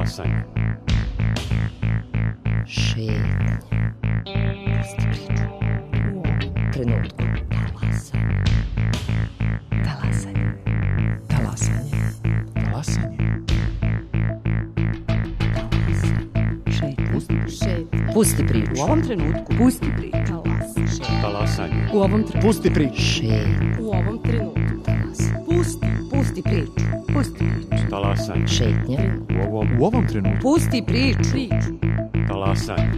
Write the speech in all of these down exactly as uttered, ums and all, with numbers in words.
Talasanje. Šetnje. Pusti priču. U ovom trenutku. Talasanje. Talasanje. Talasanje. Talasanje. Šetnje. Pusti priču. Šetnje. Pusti priču. U ovom trenutku. Pusti priču. Talasanje. U ovom trenutku. Pusti priču. Šetnje. U ovom trenutku. Talasanje. Pusti. Pusti priču. Pusti priču. Talasanje. Šetnje. U ovom, u ovom trenutku. Pusti priču. Priču. Talasanje.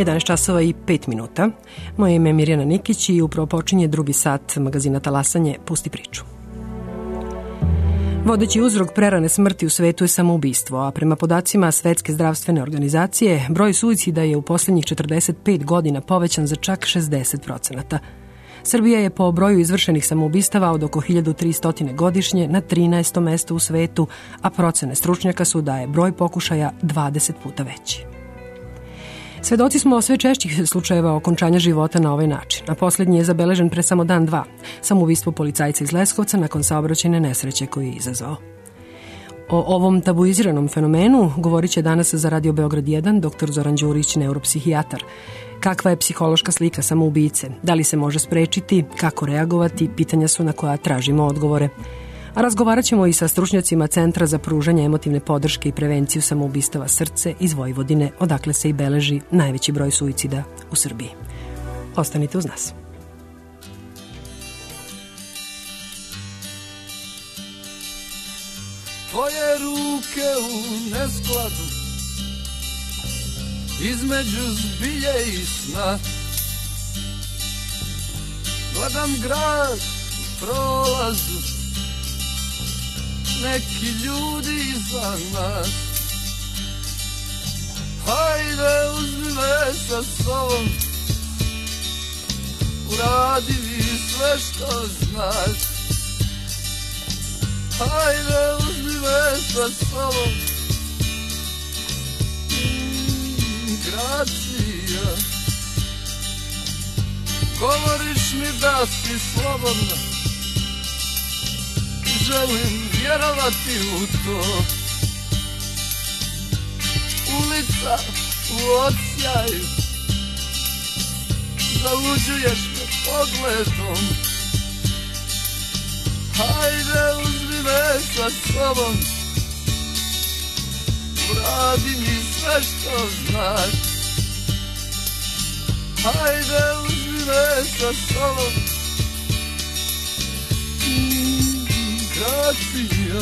jedanaest časova i pet minuta. Moje ime je Mirjana Nikić i upravo počinje drugi sat magazina Talasanje, Pusti priču. Vodeći uzrok prerane smrti u svetu je samoubistvo, a prema podacima Svetske zdravstvene organizacije, broj suicida je u poslednjih četrdeset pet godina povećan za čak šezdeset procenata. Srbija je po broju izvršenih samoubistava od oko hiljadu tristo godišnje na trinaestom mestu u svetu, a procene stručnjaka su da je broj pokušaja dvadeset puta veći. Svedoci smo sve češćih slučajeva okončanja života na ovaj način, a poslednji je zabeležen pre samo dan dva, samoubistvo policajca iz Leskovca nakon saobraćajne nesreće koju je izazvao. O ovom tabuiziranom fenomenu govorit će danas za Radio Beograd jedan doktor Zoran Đurić, neuropsihijatar. Kakva je psihološka slika samoubice, da li se može sprečiti, kako reagovati, pitanja su na koja tražimo odgovore. A razgovarat ćemo i sa stručnjacima Centra za pružanje emotivne podrške i prevenciju samoubistava Srce iz Vojvodine, odakle se i beleži najveći broj suicida u Srbiji. Ostanite uz nas. Tvoje ruke u neskladu između zbilje i sna, gledam grad prolazu, neki ljudi iza nas. Hajde, uzmi me sa sobom, uradi mi sve što znaš. Hajde, uzmi me sa sobom, mm, gracija. Govoriš mi da si slobodna, želim vjerovati u to. Ulica u odsjaju, zaluđuješ me pogledom. Hajde, uzmi me sa sobom, uradi mi sve što znaš. Hajde, uzmi me sa sobom, gracija.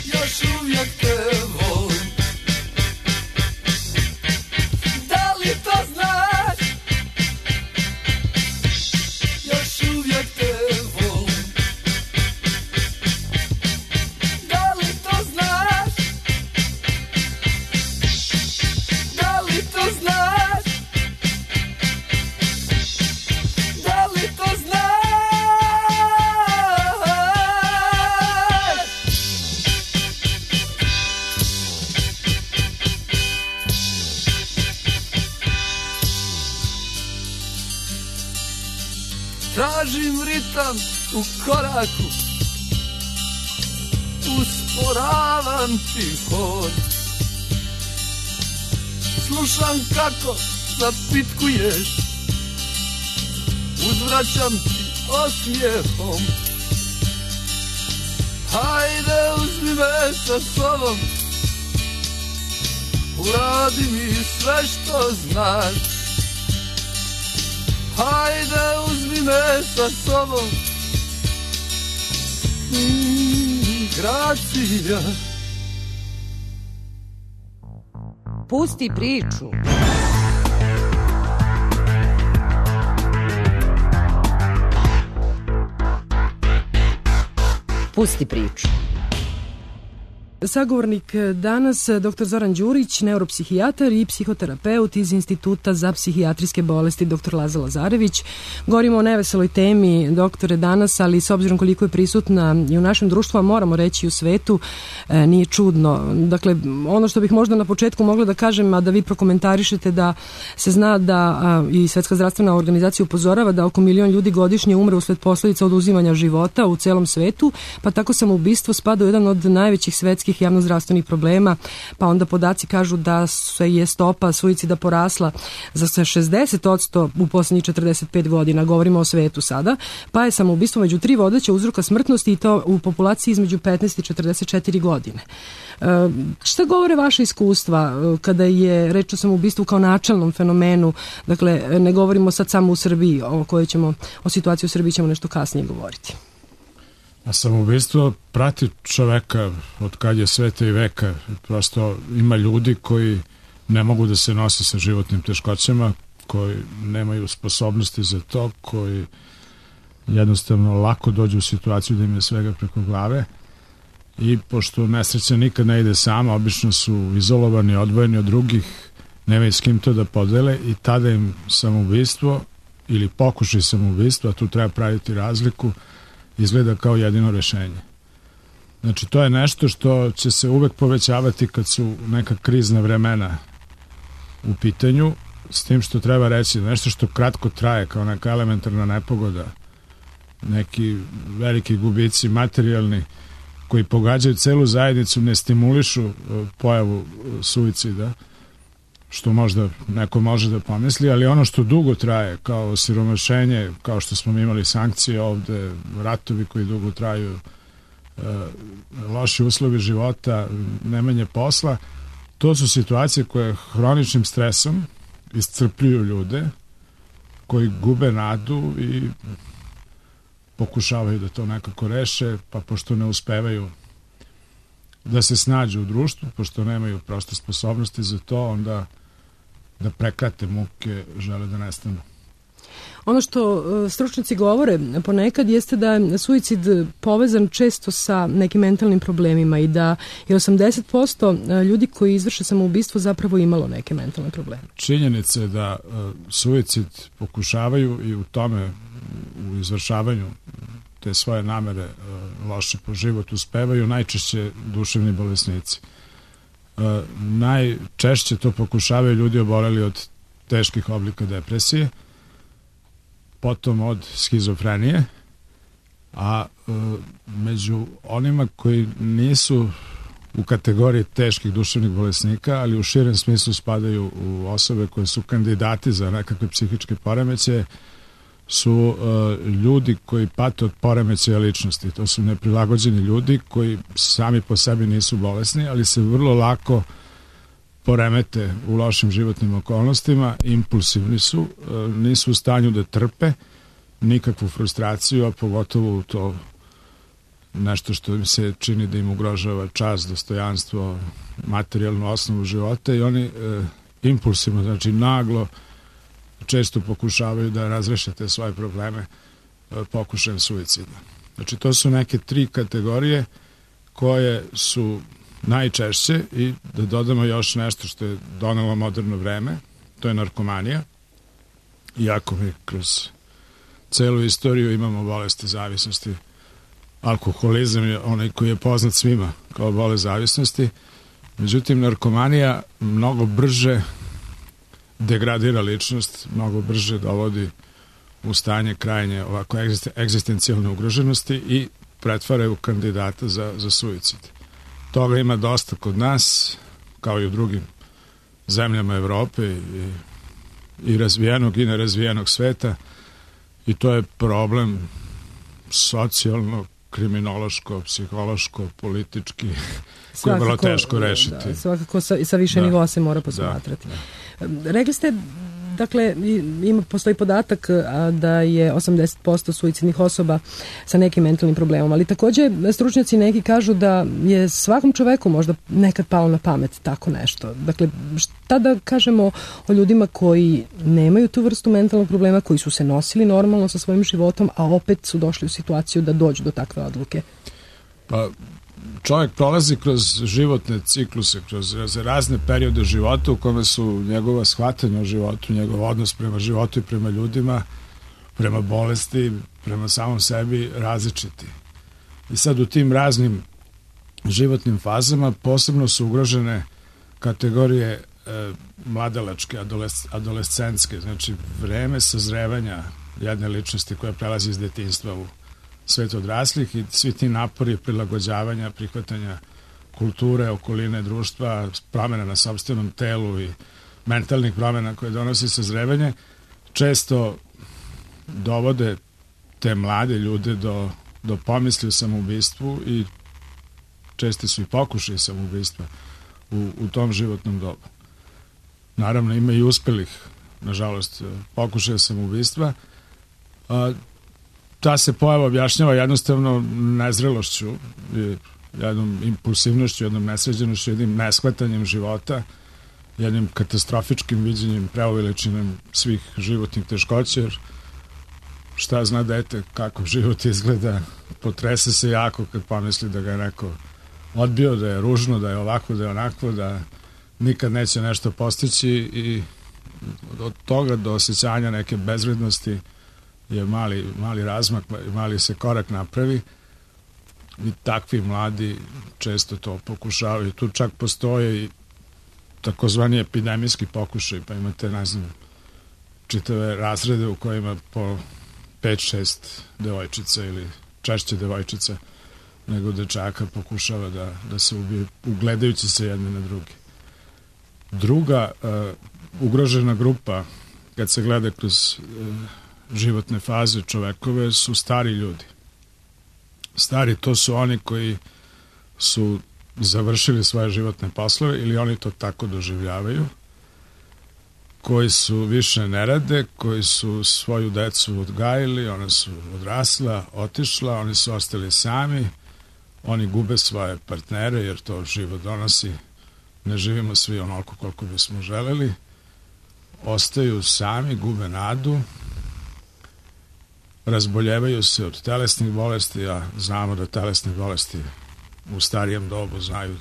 Još uvijek te volim, da li to znaš? Još uvijek te volim, da li to znaš? Da li to znaš? Da li to znaš? Tražim ritam u koraku, usporavam ti hod. Slušam kako zapitkuješ, uzvraćam ti osmijehom. Hajde, uzmi me sa sobom, uradi mi sve što znaš. Hajde, uzmi me sa sobom, mm, gracija. Pusti priču. Pusti priču. Sagovornik danas dr Zoran Đurić, neuropsihijatar i psihoterapeut iz Instituta za psihijatrijske bolesti dr Laza Lazarević. Govorimo o neveseloj temi, doktore, danas, ali s obzirom koliko je prisutna i u našem društvu, a moramo reći i u svetu, e, nije čudno. Dakle, ono što bih možda na početku mogla da kažem, a da vi prokomentarišete, da se zna da a, i Svetska zdravstvena organizacija upozorava da oko milion ljudi godišnje umre usled posledica oduzimanja života u celom svetu, pa tako samoubistvo spada u jedan od najvećih svetskih javnozdravstvenih problema, pa onda podaci kažu da se je stopa suicida porasla za šezdeset posto u poslednjih četrdeset pet godina, govorimo o svetu sada, pa je samoubistvo među tri vodeća uzroka smrtnosti i to u populaciji između petnaest i četrdeset četiri godine. E, šta govore vaše iskustva kada je reč o samoubistvu kao načelnom fenomenu? Dakle, ne govorimo sad samo u Srbiji, o kojoj ćemo, o situaciji u Srbiji ćemo nešto kasnije govoriti. A samoubistvo prati čoveka od kad je sveta i veka. Prosto ima ljudi koji ne mogu da se nose sa životnim teškoćama, koji nemaju sposobnosti za to, koji jednostavno lako dođu u situaciju da im je svega preko glave i pošto nesreća nikad ne ide sama, obično su izolovani, odvojeni od drugih, nemaju s kim to da podele i tada im samoubistvo ili pokušaj samoubistva, tu treba praviti razliku, izgleda kao jedino rešenje. Znači, to je nešto što će se uvek povećavati kad su neka krizna vremena u pitanju, s tim što treba reći nešto što kratko traje, kao neka elementarna nepogoda, neki veliki gubici materijalni koji pogađaju celu zajednicu, ne stimulišu pojavu suicida, što možda neko može da pomisli, ali ono što dugo traje, kao siromašenje, kao što smo imali sankcije ovde, ratovi koji dugo traju, loši uslovi života, nemanje posla, to su situacije koje hroničnim stresom iscrpljuju ljude, koji gube nadu i pokušavaju da to nekako reše, pa pošto ne uspevaju da se snađu u društvu, pošto nemaju prosto sposobnosti za to, onda da prekrate muke, žele da nestanu. Ono što stručnjaci govore ponekad jeste da je suicid povezan često sa nekim mentalnim problemima i da je osamdeset posto ljudi koji izvrše samoubistvo zapravo imalo neke mentalne probleme. Činjenica je da suicid pokušavaju i u tome, u izvršavanju te svoje namere loše po život uspevaju najčešće duševni bolesnici. Najčešće to pokušavaju ljudi oboleli od teških oblika depresije, potom od schizofrenije, a e, među onima koji nisu u kategoriji teških duševnih bolesnika, ali u širem smislu spadaju u osobe koje su kandidati za nekakve psihičke poremećaje, su e, ljudi koji pate od poremećaja ličnosti. To su neprilagođeni ljudi koji sami po sebi nisu bolesni, ali se vrlo lako poremete u lošim životnim okolnostima, impulsivni su, nisu u stanju da trpe nikakvu frustraciju, a pogotovo to nešto što im se čini da im ugrožava čast, dostojanstvo, materijalnu osnovu života i oni e, impulsivno, znači naglo, često pokušavaju da razreše te svoje probleme e, pokušajem suicida. Znači to su neke tri kategorije koje su najčešće i da dodamo još nešto što je donelo moderno vreme, to je narkomanija. Iako mi kroz celu istoriju imamo bolesti zavisnosti, alkoholizam je onaj koji je poznat svima kao bolest zavisnosti, međutim narkomanija mnogo brže degradira ličnost, mnogo brže dovodi u stanje krajnje ovako egzistencijalne ugroženosti i pretvara u kandidata za, za suicid. Toga ima dosta kod nas, kao i u drugim zemljama Evrope i, i razvijenog i nerazvijenog sveta i to je problem socijalno, kriminološko, psihološko, politički, koje je vrlo teško rešiti. Da, svakako sa, sa više da, nivoa se mora posmatrati. Da, da. Rekli ste, dakle, ima, postoji podatak da je osamdeset posto suicidnih osoba sa nekim mentalnim problemom, ali takođe stručnjaci neki kažu da je svakom čoveku možda nekad palo na pamet tako nešto. Dakle, šta da kažemo o ljudima koji nemaju tu vrstu mentalnog problema, koji su se nosili normalno sa svojim životom, a opet su došli u situaciju da dođu do takve odluke? Pa, čovjek prolazi kroz životne cikluse, kroz razne periode života u kome su njegova shvatanja o životu, njegov odnos prema životu i prema ljudima, prema bolesti, prema samom sebi različiti. I sad u tim raznim životnim fazama posebno su ugrožene kategorije e, mladalačke, adoles, adolescentske, znači vreme sazrevanja jedne ličnosti koja prelazi iz detinjstva u svet odraslih i svi ti napori prilagođavanja, prihvatanja kulture, okoline, društva, promjena na sopstvenom telu i mentalnih promjena koje donosi sazrevanje, često dovode te mlade ljude do, do pomisli o samoubistvu i česti su i pokušaji samoubistva u, u tom životnom dobu. Naravno, ima i uspelih, nažalost, pokušaja samoubistva. A, ta se pojava objašnjava jednostavno nezrelošću, jednom impulsivnošću, jednom nesređenošću, jednim neshvatanjem života, jednim katastrofičkim viđenjem, preuveličinom svih životnih teškoća, jer šta zna dete kako život izgleda, potrese se jako kad pomisli da ga je neko odbio, da je ružno, da je ovako, da je onako, da nikad neće nešto postići i od toga do osjećanja neke bezvrednosti je mali, mali razmak, mali se korak napravi i takvi mladi često to pokušavaju. Tu čak postoje i takozvani epidemijski pokušaj, pa imate, ne znam, čitave razrede u kojima po pet šest devojčica ili češće devojčica nego dečaka pokušava da, da se ubije, ugledajući se jedne na druge. Druga uh, ugrožena grupa, kad se gleda kroz uh, životne faze čovekove, su stari ljudi. Stari, to su oni koji su završili svoje životne poslove ili oni to tako doživljavaju, koji su više ne rade, koji su svoju decu odgajili, ona su odrasla, otišla, oni su ostali sami, oni gube svoje partnere jer to život donosi, ne živimo svi onoliko koliko bismo želeli, ostaju sami, gube nadu, razboljevaju se od telesnih bolesti, a znamo da telesne bolesti u starijem dobu znaju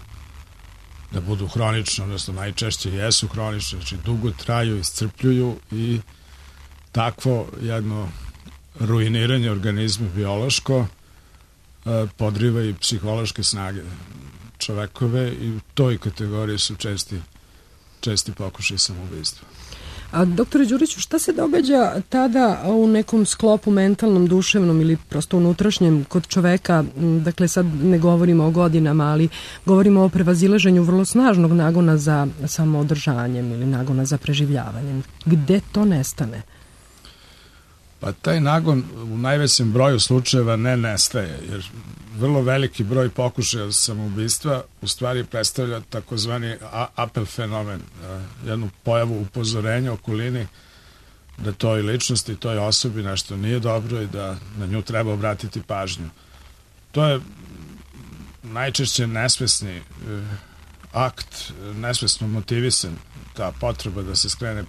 da budu hronične, odnosno najčešće jesu hronične, znači dugo traju, iscrpljuju i takvo jedno ruiniranje organizma biološko podriva i psihološke snage čovekove i u toj kategoriji su česti, česti pokušaj samoubistva. A doktore Đuriću, šta se događa tada u nekom sklopu mentalnom, duševnom ili prosto unutrašnjem kod čoveka? Dakle, sad ne govorimo o godinama, ali govorimo o prevazilaženju vrlo snažnog nagona za samoodržanjem ili nagona za preživljavanjem. Gde to nestane? Pa taj nagon u najvećem broju slučajeva ne nestaje, jer vrlo veliki broj pokušaja samoubistva u stvari predstavlja takozvani apel fenomen, jednu pojavu upozorenja okolini da toj ličnosti, toj osobi nešto nije dobro i da na nju treba obratiti pažnju. To je najčešće nesvesni akt, nesvesno motivisan, ta potreba da se skrene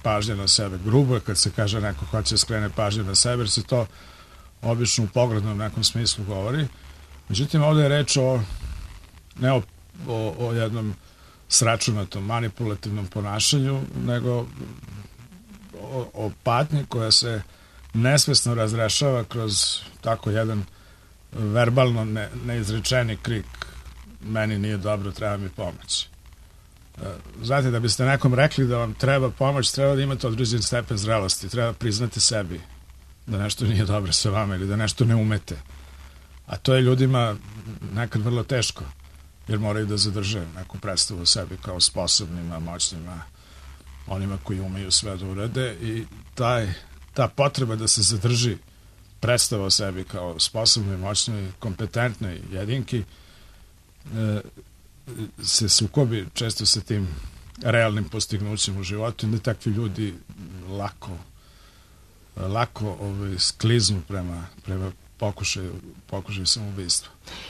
pažnja na sebe. Grubo je kad se kaže neko hoće skrene pažnju na sebe, jer se to obično u poglednom nekom smislu govori. Međutim, ovdje je reč o ne o, o, o jednom sračunatom, manipulativnom ponašanju, nego o, o patnji koja se nesvesno razrešava kroz tako jedan verbalno ne, neizrečeni krik: meni nije dobro, treba mi pomoć. Znate, da biste nekom rekli da vam treba pomoć, treba da imate određen stepen zrelosti, treba priznati sebi da nešto nije dobro sa vama ili da nešto ne umete. A to je ljudima nekad vrlo teško, jer moraju da zadrže neku predstavu o sebi kao sposobnima, moćnima, onima koji umeju sve da urade i taj, ta potreba da se zadrži predstava o sebi kao sposobnoj, moćnoj, kompetentnoj jedinki e, se sukobi često sa tim realnim postignućem u životu i da takvi ljudi lako lako ovaj, skliznu prema, prema pokušaju, pokušaju samoubistva.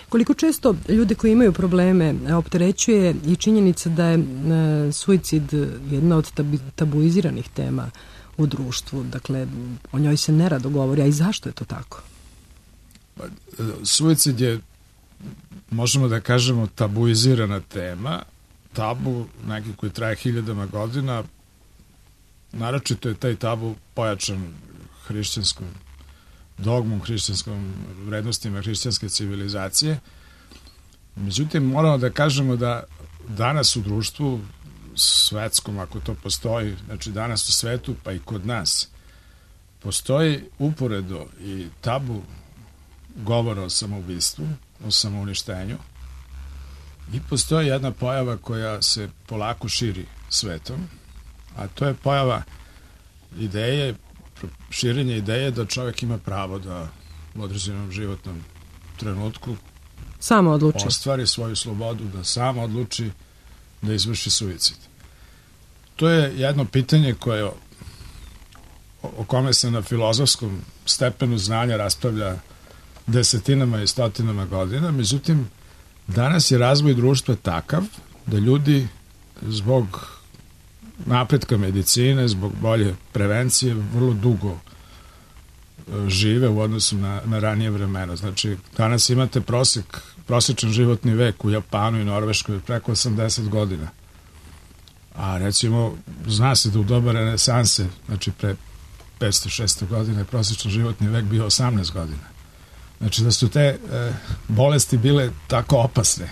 Koliko često ljude koji imaju probleme opterećuje i činjenica da je e, suicid jedna od tabu, tabuiziranih tema u društvu, dakle o njoj se nerado govori, a i zašto je to tako? Pa, suicid je možemo da kažemo tabuizirana tema, tabu neki koji traje hiljadama godina, naročito je taj tabu pojačan hrišćanskom dogmom, hrišćanskom vrednostima hrišćanske civilizacije. Međutim, moramo da kažemo da danas u društvu svetskom, ako to postoji, znači danas u svetu, pa i kod nas, postoji uporedo i tabu govora o samoubistvu, o samouništenju, i postoji jedna pojava koja se polako širi svetom, a to je pojava ideje, širenje ideje da čovjek ima pravo da u određenom životnom trenutku samo odluči, ostvari svoju slobodu, da sam odluči da izvrši suicid. To je jedno pitanje koje o, o kome se na filozofskom stepenu znanja raspravlja desetinama i stotinama godina, međutim danas je razvoj društva takav da ljudi zbog napretka medicine, zbog bolje prevencije vrlo dugo žive u odnosu na, na ranije vremena. Znači, danas imate prosek, prosječan životni vek u Japanu i Norveškoj preko osamdeset godina. A recimo, zna se da u doba renesanse, znači pre petsto šesto godina, je prosječan životni vek bio osamnaest godina. Znači da su te e, bolesti bile tako opasne,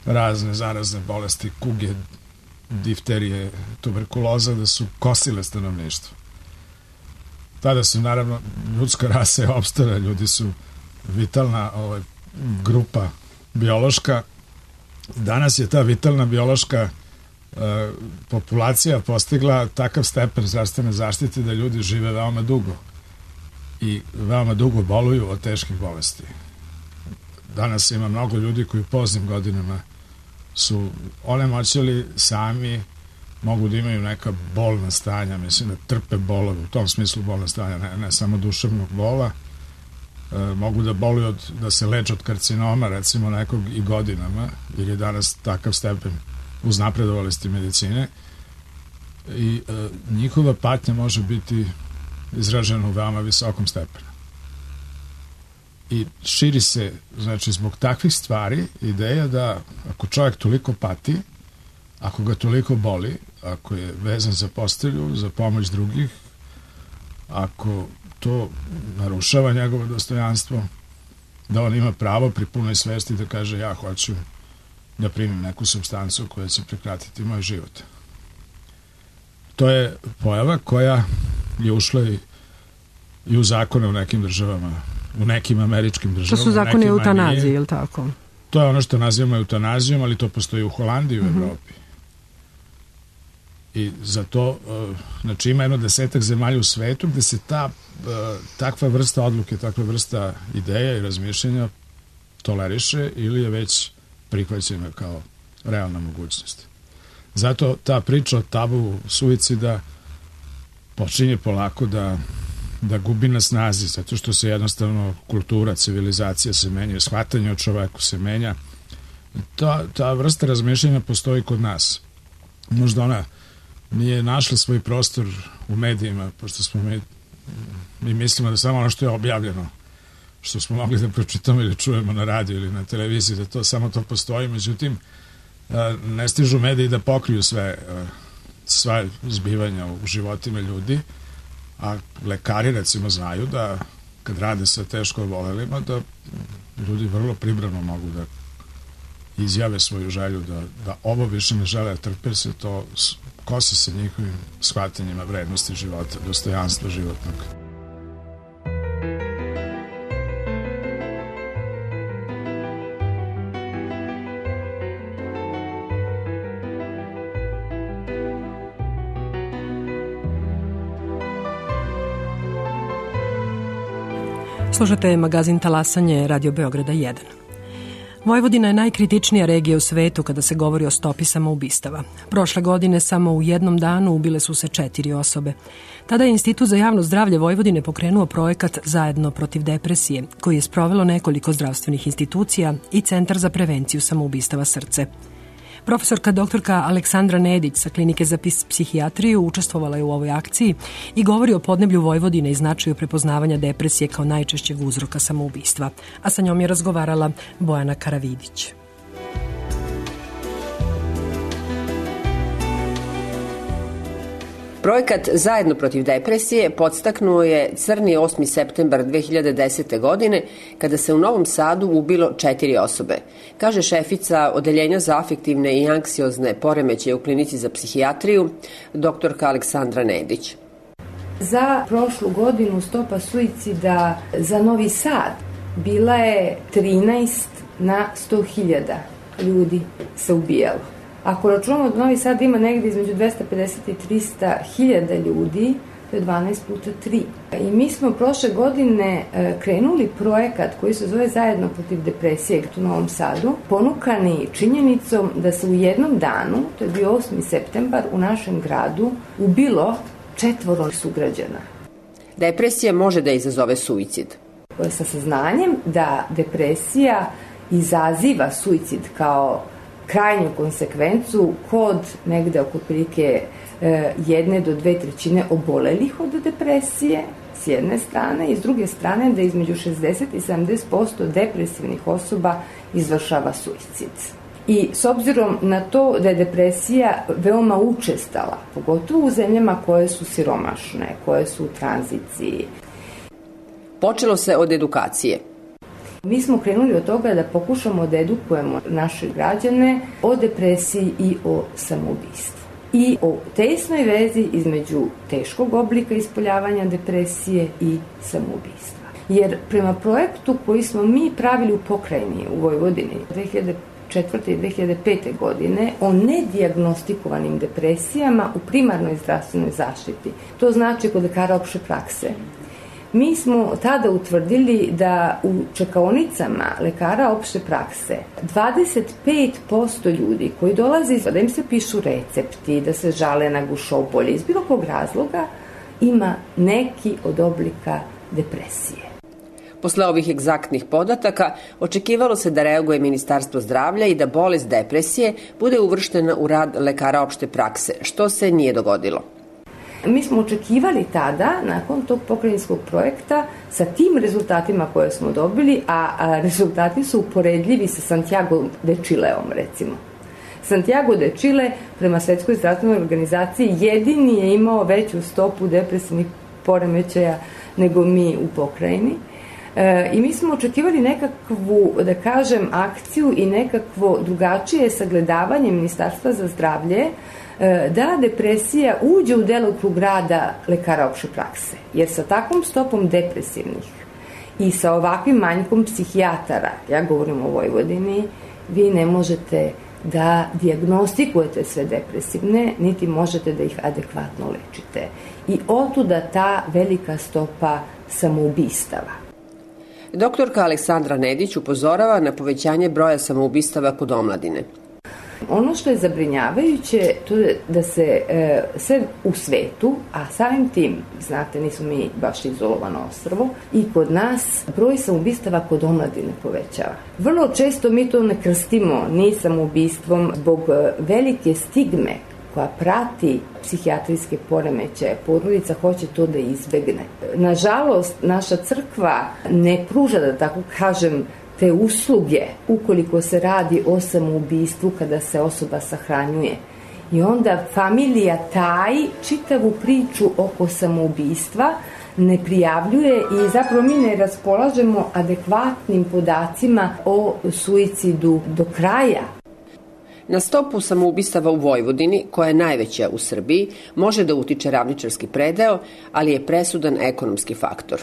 razne zarazne bolesti, kuge, difterije, tuberkuloza, da su kosile stanovništvo. Tada su, naravno, ljudska rasa je opstala, ljudi su vitalna ovaj, grupa biološka. Danas je ta vitalna biološka e, populacija postigla takav stepen zdravstvene zaštite da ljudi žive veoma dugo i veoma dugo boluju od teških bolesti. Danas ima mnogo ljudi koji u poznim godinama su onemoćali sami, mogu da imaju neka bolna stanja, mislim da trpe bolove, u tom smislu bolna stanja, ne, ne samo duševnog bola, e, mogu da boluju od, da se leče od karcinoma, recimo nekog i godinama, jer je danas takav stepen uznapredovalosti medicine i e, njihova patnja može biti izražena u veoma visokom stepenu. I širi se, znači, zbog takvih stvari ideja da ako čovjek toliko pati, ako ga toliko boli, ako je vezan za postelju, za pomoć drugih, ako to narušava njegovo dostojanstvo, da on ima pravo pri punoj svesti da kaže ja hoću da primim neku supstancu koja će prekratiti moj život. To je pojava koja je ušla i, i u zakone u nekim državama, u nekim američkim državama. To su zakoni o eutanaziji, je li tako? To je ono što nazivamo eutanazijom, ali to postoji u Holandiji i u mm-hmm. Evropi. I za to, znači ima jedno desetak zemalja u svetu gde se ta takva vrsta odluke, takva vrsta ideja i razmišljenja toleriše ili je već prihvaćena kao realna mogućnost. Zato ta priča o tabu suicida počinje polako da, da gubi na snazi, zato što se jednostavno kultura, civilizacija se menja, shvatanje o čoveku se menja. Ta, ta vrsta razmišljanja postoji kod nas. Možda ona nije našla svoj prostor u medijima, pošto smo mi, mi mislimo da samo ono što je objavljeno, što smo mogli da pročitamo ili čujemo na radiju ili na televiziji, da to samo to postoji, međutim ne stižu mediji da pokriju sve, sva zbivanja u životima ljudi, a lekari recimo znaju da kad rade sa teško obolelima da ljudi vrlo pribrano mogu da izjave svoju želju da, da ovo više ne žele da trpe, se to kosi sa njihovim shvatanjima vrednosti života, dostojanstva životnog. Slušate magazin Talasanje Radio Beograda jedan. Vojvodina je najkritičnija regija u svetu kada se govori o stopi samoubistava. Prošle godine samo u jednom danu ubile su se četiri osobe. Tada je Institut za javno zdravlje Vojvodine pokrenuo projekat Zajedno protiv depresije, koji je sprovelo nekoliko zdravstvenih institucija i Centar za prevenciju samoubistava Srce. Profesorka doktorka Aleksandra Nedić sa Klinike za psihijatriju učestvovala je u ovoj akciji i govori o podneblju Vojvodine i značaju prepoznavanja depresije kao najčešćeg uzroka samoubistva. A sa njom je razgovarala Bojana Karavidić. Projekat Zajedno protiv depresije podstaknuo je crni osmi septembar dve hiljade desete. godine kada se u Novom Sadu ubilo četiri osobe, kaže šefica Odeljenja za afektivne i anksiozne poremećaje u Klinici za psihijatriju, doktorka Aleksandra Nedić. Za prošlu godinu stopa suicida za Novi Sad bila je trinaest na sto hiljada ljudi se ubijalo. Ako računamo da Novi Sad ima negdje između dvesta pedeset i trista hiljada ljudi, to je dvanaest puta tri. I mi smo prošle godine krenuli projekat koji se zove Zajedno protiv depresije u Novom Sadu, ponukani činjenicom da se u jednom danu, to je bio osmi septembar, u našem gradu ubilo četvoro sugrađana. Depresija može da izazove suicid. Sa saznanjem da depresija izaziva suicid kao krajnju konsekvencu kod negde oko prilike e, jedne do dve trećine obolelih od depresije s jedne strane i s druge strane da između šezdeset i sedamdeset posto depresivnih osoba izvršava suicid. I s obzirom na to da je depresija veoma učestala, pogotovo u zemljama koje su siromašne, koje su u tranziciji. Počelo se od edukacije. Mi smo krenuli od toga da pokušamo da edukujemo naše građane o depresiji i o samoubistvu. I o tesnoj vezi između teškog oblika ispoljavanja depresije i samoubistva. Jer prema projektu koji smo mi pravili u pokrajini u Vojvodini dve hiljade četvrte i dve hiljade pete. godine o nedijagnostikovanim depresijama u primarnoj zdravstvenoj zaštiti, to znači kod lekara opšte prakse, mi smo tada utvrdili da u čekaonicama lekara opšte prakse dvadeset pet posto ljudi koji dolaze da im se pišu recepti, da se žale na gušobolje iz bilo kog razloga, ima neki od oblika depresije. Posle ovih egzaktnih podataka očekivalo se da reaguje Ministarstvo zdravlja i da bolest depresije bude uvrštena u rad lekara opšte prakse, što se nije dogodilo. Mi smo očekivali tada, nakon tog pokrajinskog projekta, sa tim rezultatima koje smo dobili, a, a rezultati su uporedljivi sa Santiago de Chileom, recimo. Santiago de Chile, prema Svetskoj zdravstvenoj organizaciji, jedini je imao veću stopu depresivnih poremećaja nego mi u pokrajini. E, I mi smo očekivali nekakvu, da kažem, akciju i nekakvo drugačije sagledavanje Ministarstva za zdravlje da depresija uđe u delokrug rada lekara opšte prakse. Jer sa takvom stopom depresivnih i sa ovakvim manjkom psihijatara, ja govorim o Vojvodini, vi ne možete da dijagnostikujete sve depresivne, niti možete da ih adekvatno lečite. I otuda ta velika stopa samoubistava. Doktorka Aleksandra Nedić upozorava na povećanje broja samoubistava kod omladine. Ono što je zabrinjavajuće to je da se e, sve u svetu, a samim tim, znate, nismo mi baš izolovano ostrvo, i kod nas broj samoubistava kod omladine povećava. Vrlo često mi to ne krstimo ni samoubistvom zbog velike stigme koja prati psihijatrijske poremećaje. Porodica hoće to da izbegne. Nažalost, naša crkva ne pruža, da tako kažem, te usluge ukoliko se radi o samoubistvu kada se osoba sahranjuje. I onda familija taji čitavu priču oko samoubistva, ne prijavljuje i zapravo mi ne raspolažemo adekvatnim podacima o suicidu do kraja. Na stopu samoubistava u Vojvodini, koja je najveća u Srbiji, može da utiče ravničarski predeo, ali je presudan ekonomski faktor.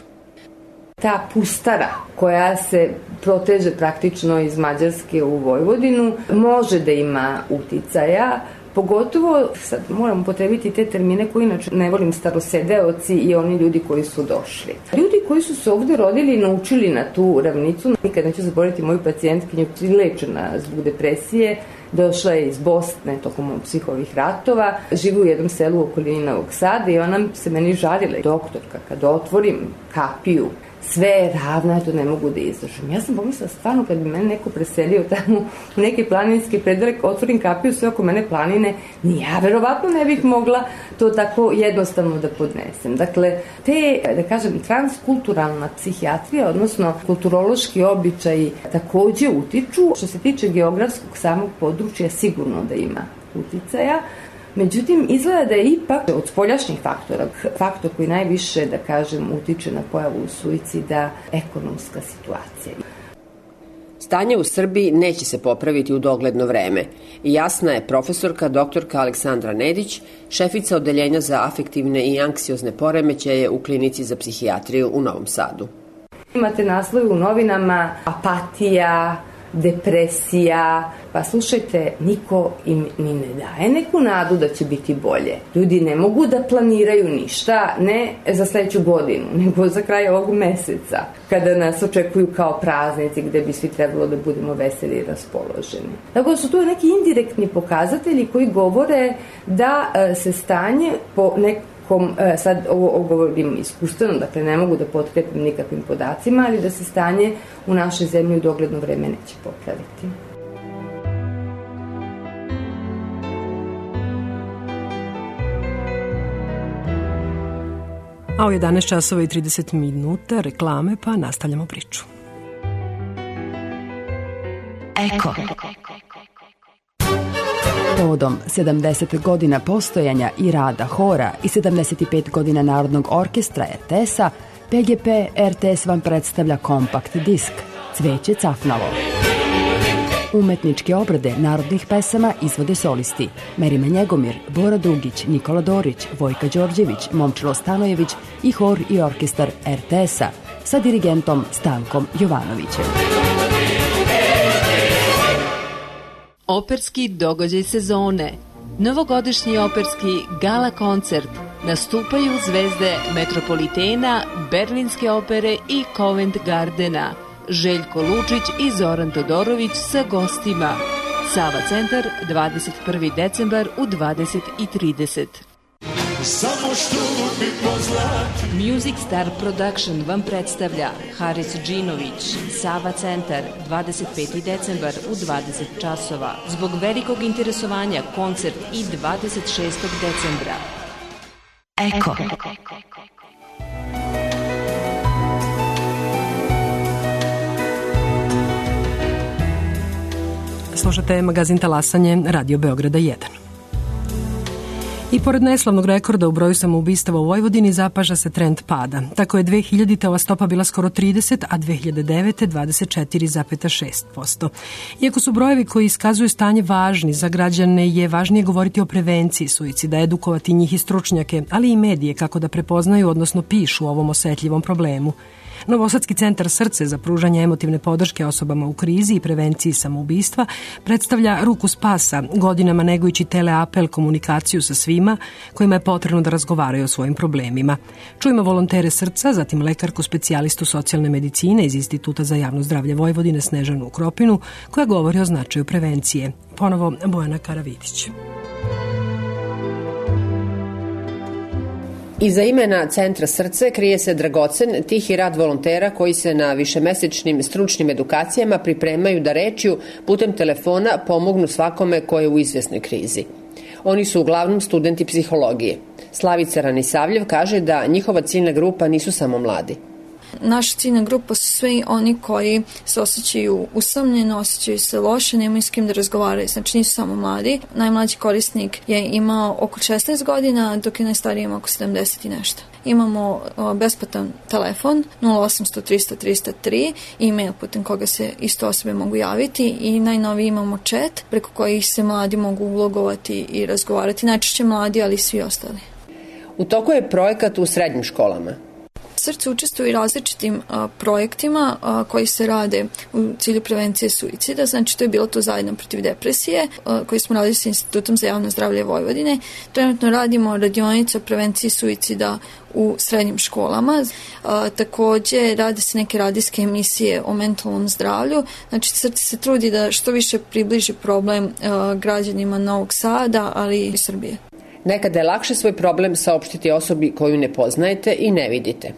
Ta pustara koja se proteže praktično iz Mađarske u Vojvodinu može da ima uticaja, pogotovo, sad moram potrebiti te termine koji inače ne volim, starosedeoci i oni ljudi koji su došli. Ljudi koji su se ovde rodili i naučili na tu ravnicu, nikad neću zaboraviti moju pacijentkinju lečena zbog depresije, došla je iz Bosne tokom svih ovih ratova, živi u jednom selu u okolini Novog Sada i ona se meni žalila. Doktorka, kada otvorim kapiju sve je ravno, ja to ne mogu da izdržim. Ja sam pomislila stvarno kad bi mene neko preselio tamo u neki planinski predelek, otvorim kapiju, sve oko mene planine, ni ja verovatno ne bih mogla to tako jednostavno da podnesem. Dakle, te, da kažem, transkulturalna psihijatrija, odnosno kulturološki običaji takođe utiču. Što se tiče geografskog samog područja, sigurno da ima uticaja. Međutim, izgleda da je ipak od spoljašnjih faktora, faktor koji najviše, da kažem, utiče na pojavu suicida, ekonomska situacija. Stanje u Srbiji neće se popraviti u dogledno vreme i jasna je profesorka doktorka Aleksandra Nedić, šefica odeljenja za afektivne i anksiozne poremećaje u klinici za psihijatriju u Novom Sadu. Imate naslove u novinama apatija, depresija, pa slušajte, niko im ni ne daje neku nadu da će biti bolje. Ljudi ne mogu da planiraju ništa, ne za sledeću godinu, nego za kraj ovog meseca, kada nas očekuju kao praznici gde bi svi trebalo da budemo veseli i raspoloženi. Tako da su tu neki indirektni pokazatelji koji govore da se stanje po nekom Kom, sad ovo govorim iskustveno, dakle ne mogu da potkrepim nikakvim podacima, ali da se stanje u našoj zemlji u dogledno vreme neće popraviti. A u jedanaest časova i trideset minuta reklame, pa nastavljamo priču. Eko. Povodom sedamdeset godina postojanja i rada hora i sedamdeset pet godina Narodnog orkestra er te es-a, pe ge pe er te es vam predstavlja kompakt disk Cveće cafnalo. Umetničke obrade narodnih pesama izvode solisti Merima Njegomir, Bora Dugić, Nikola Dorić, Vojka Đorđević, Momčilo Stanojević i hor i orkestar er te es-a sa dirigentom Stankom Jovanovićem. Operski događaj sezone. Novogodišnji operski gala koncert. Nastupaju zvezde Metropolitena, Berlinske opere i Covent Gardena. Željko Lučić i Zoran Todorović sa gostima. Sava centar, dvadeset prvi decembar u dvadeset i trideset. Samo što mi pozlati. Music Star Production vam predstavlja Haris Džinović, Sava centar, dvadeset peti decembar u dvadeset časova. Zbog velikog interesovanja koncert i dvadeset šestog decembra. Eko. Slušate magazin Talasanje, Radio Beograda jedan. I pored neslavnog rekorda u broju samoubistava u Vojvodini zapaža se trend pada. Tako je dve hiljadite ova stopa bila skoro trideset, a dve hiljade devete. dvadeset četiri zarez šest posto. Iako su brojevi koji iskazuju stanje važni za građane, je važnije govoriti o prevenciji suicida, edukovati njih i stručnjake, ali i medije kako da prepoznaju, odnosno pišu o ovom osetljivom problemu. Novosadski centar Srce za pružanje emotivne podrške osobama u krizi i prevenciji samoubistva predstavlja ruku spasa, godinama negujući teleapel komunikaciju sa svima kojima je potrebno da razgovaraju o svojim problemima. Čujemo volontere Srca, zatim lekarku specijalistu socijalne medicine iz Instituta za javno zdravlje Vojvodine Snežanu Kropinu, koja govori o značaju prevencije. Ponovo Bojana Karavidić. Iza imena Centra Srce krije se dragocen, tihi rad volontera koji se na višemesečnim stručnim edukacijama pripremaju da rečju putem telefona pomognu svakome ko je u izvesnoj krizi. Oni su uglavnom studenti psihologije. Slavica Ranisavljev kaže da njihova ciljna grupa nisu samo mladi. Naša ciljna grupa su svi oni koji se osjećaju usamljeno, osjećaju se loše, nemaju s kim da razgovaraju, znači nisu samo mladi. Najmlađi korisnik je imao oko šesnaest godina, dok je najstariji imao oko sedamdeset i nešto. Imamo o, besplatan telefon nula osamsto trista trista tri, e-mail putem koga se isto osobe mogu javiti i najnoviji imamo chat preko kojih se mladi mogu ulogovati i razgovarati, najčešće mladi, ali i svi ostali. U toku je projekat u srednjim školama. Srce učestvuje i različitim a, projektima a, koji se rade u cilju prevencije suicida, znači to je bilo to zajedno protiv depresije a, koji smo radili sa Institutom za javno zdravlje Vojvodine. Trenutno radimo radionice o prevenciji suicida u srednjim školama. A, takođe rade se neke radijske emisije o mentalnom zdravlju, znači Srce se trudi da što više približi problem a, građanima Novog Sada, ali i Srbije. Nekada je lakše svoj problem saopštiti osobi koju ne poznajete i ne vidite.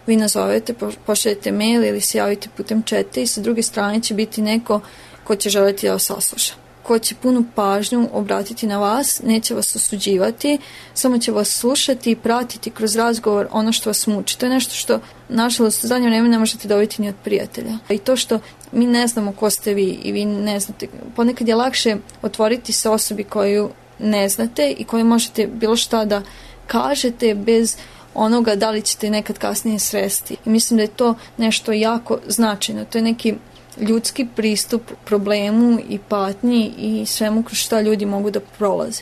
vi nazovete, pošaljete mail ili se javite putem četa i sa druge strane će biti neko ko će želiti da vas sasluša, ko će punu pažnju obratiti na vas, neće vas osuđivati, samo će vas slušati i pratiti kroz razgovor ono što vas muči. To je nešto što, nažalost, u zadnje vreme ne možete dobiti ni od prijatelja. I to što mi ne znamo ko ste vi i vi ne znate, ponekad je lakše otvoriti se osobi koju ne znate i koju možete bilo šta da kažete bez onoga da li ćete nekad kasnije sresti. I mislim da je to nešto jako značajno. To je neki ljudski pristup problemu i patnji i svemu kroz šta ljudi mogu da prolaze.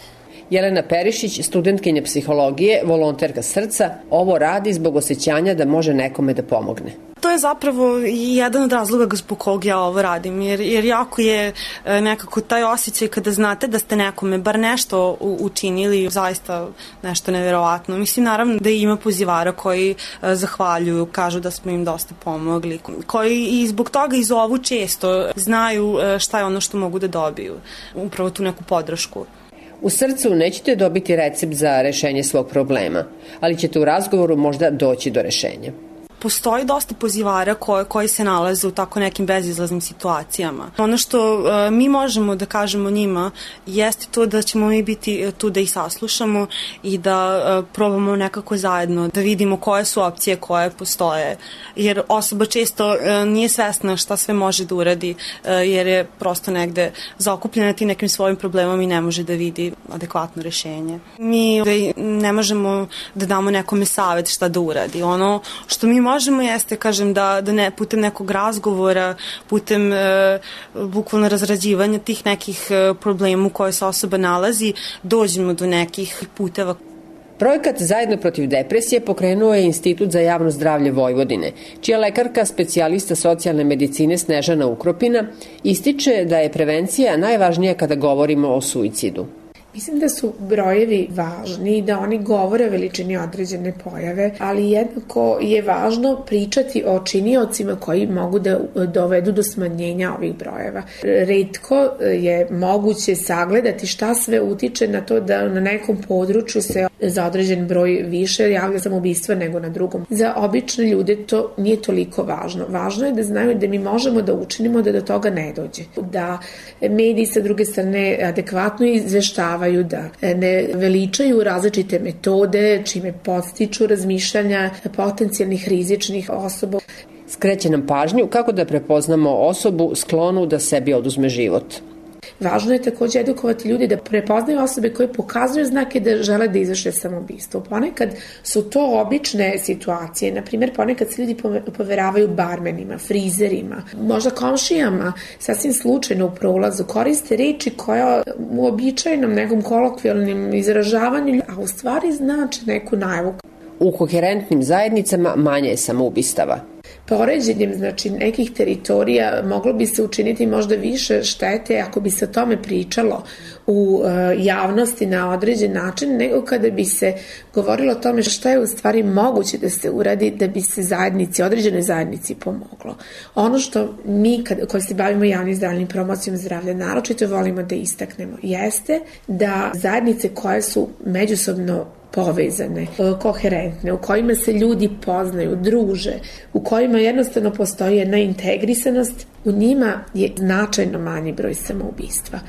Jelena Perišić, studentkinja psihologije, volonterka srca, ovo radi zbog osjećanja da može nekome da pomogne. To je zapravo i jedan od razloga zbog kog ja ovo radim, jer, jer jako je nekako taj osjećaj kada znate da ste nekome bar nešto učinili, zaista nešto neverovatno. Mislim, naravno da ima pozivara koji zahvaljuju, kažu da smo im dosta pomogli, koji i zbog toga i zovu često, znaju šta je ono što mogu da dobiju, upravo tu neku podršku. U srcu nećete dobiti recept za rešenje svog problema, ali ćete u razgovoru možda doći do rešenja. Postoji dosta pozivara koje, koji se nalaze u tako nekim bezizlaznim situacijama. Ono što uh, mi možemo da kažemo njima jeste to da ćemo mi biti tu da ih saslušamo i da uh, probamo nekako zajedno da vidimo koje su opcije koje postoje. Jer osoba često uh, nije svesna šta sve može da uradi uh, jer je prosto negde zaokupljena tim nekim svojim problemom i ne može da vidi adekvatno rešenje. Mi ne možemo da damo nekome savet šta da uradi. Ono što mi možemo jeste, kažem, da, da ne, putem nekog razgovora, putem e, bukvalno razrađivanja tih nekih e, problema u kojoj se osoba nalazi, dođemo do nekih puteva. Projekat Zajedno protiv depresije pokrenuo je Institut za javno zdravlje Vojvodine, čija lekarka, specijalista socijalne medicine Snežana Ukropina, ističe da je prevencija najvažnija kada govorimo o suicidu. Mislim da su brojevi važni i da oni govore o veličini određene pojave, ali jednako je važno pričati o činiocima koji mogu da dovedu do smanjenja ovih brojeva. Retko je moguće sagledati šta sve utiče na to da na nekom području se za određen broj više javlja samoubistva nego na drugom. Za obične ljude to nije toliko važno. Važno je da znaju da mi možemo da učinimo da do toga ne dođe. Da mediji sa druge strane adekvatno izveštavaju, da ne veličaju različite metode čime podstiču razmišljanja potencijalnih rizičnih osoba. Skreće nam pažnju kako da prepoznamo osobu sklonu da sebi oduzme život. Važno je takođe edukovati ljudi da prepoznaju osobe koje pokazuju znake da žele da izvrše samoubistvo. Ponekad su to obične situacije, na primjer ponekad se ljudi poveravaju barmenima, frizerima, možda komšijama, sasvim slučajno u prolazu, koriste reči koja u običajnom nekom kolokvijalnim izražavanju, a u stvari znači neku najavu. U koherentnim zajednicama manje je samoubistava. Poređenjem, znači, nekih teritorija moglo bi se učiniti možda više štete ako bi se o tome pričalo u e, javnosti na određen način, nego kada bi se govorilo o tome šta je u stvari moguće da se uradi da bi se zajednici, određenoj zajednici pomoglo. Ono što mi kad, koji se bavimo javnim zdravljem i promocijom zdravlja naročito volimo da istaknemo jeste da zajednice koje su međusobno povezane, koherentne, u kojima se ljudi poznaju, druže, u kojima jednostavno postoji jedna integrisanost, u njima je značajno manji broj samoubistva.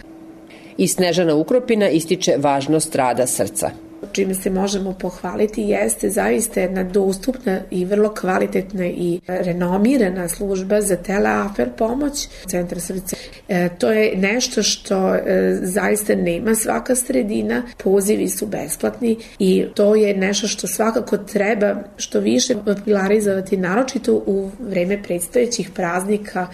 I Snežana Ukropina ističe važnost rada srca. Čime se možemo pohvaliti jeste zaista jedna dostupna i vrlo kvalitetna i renomirana služba za teleafer pomoć Centra srca. E, to je nešto što e, zaista nema svaka sredina, pozivi su besplatni i to je nešto što svakako treba što više popularizovati, naročito u vreme predstojećih praznika.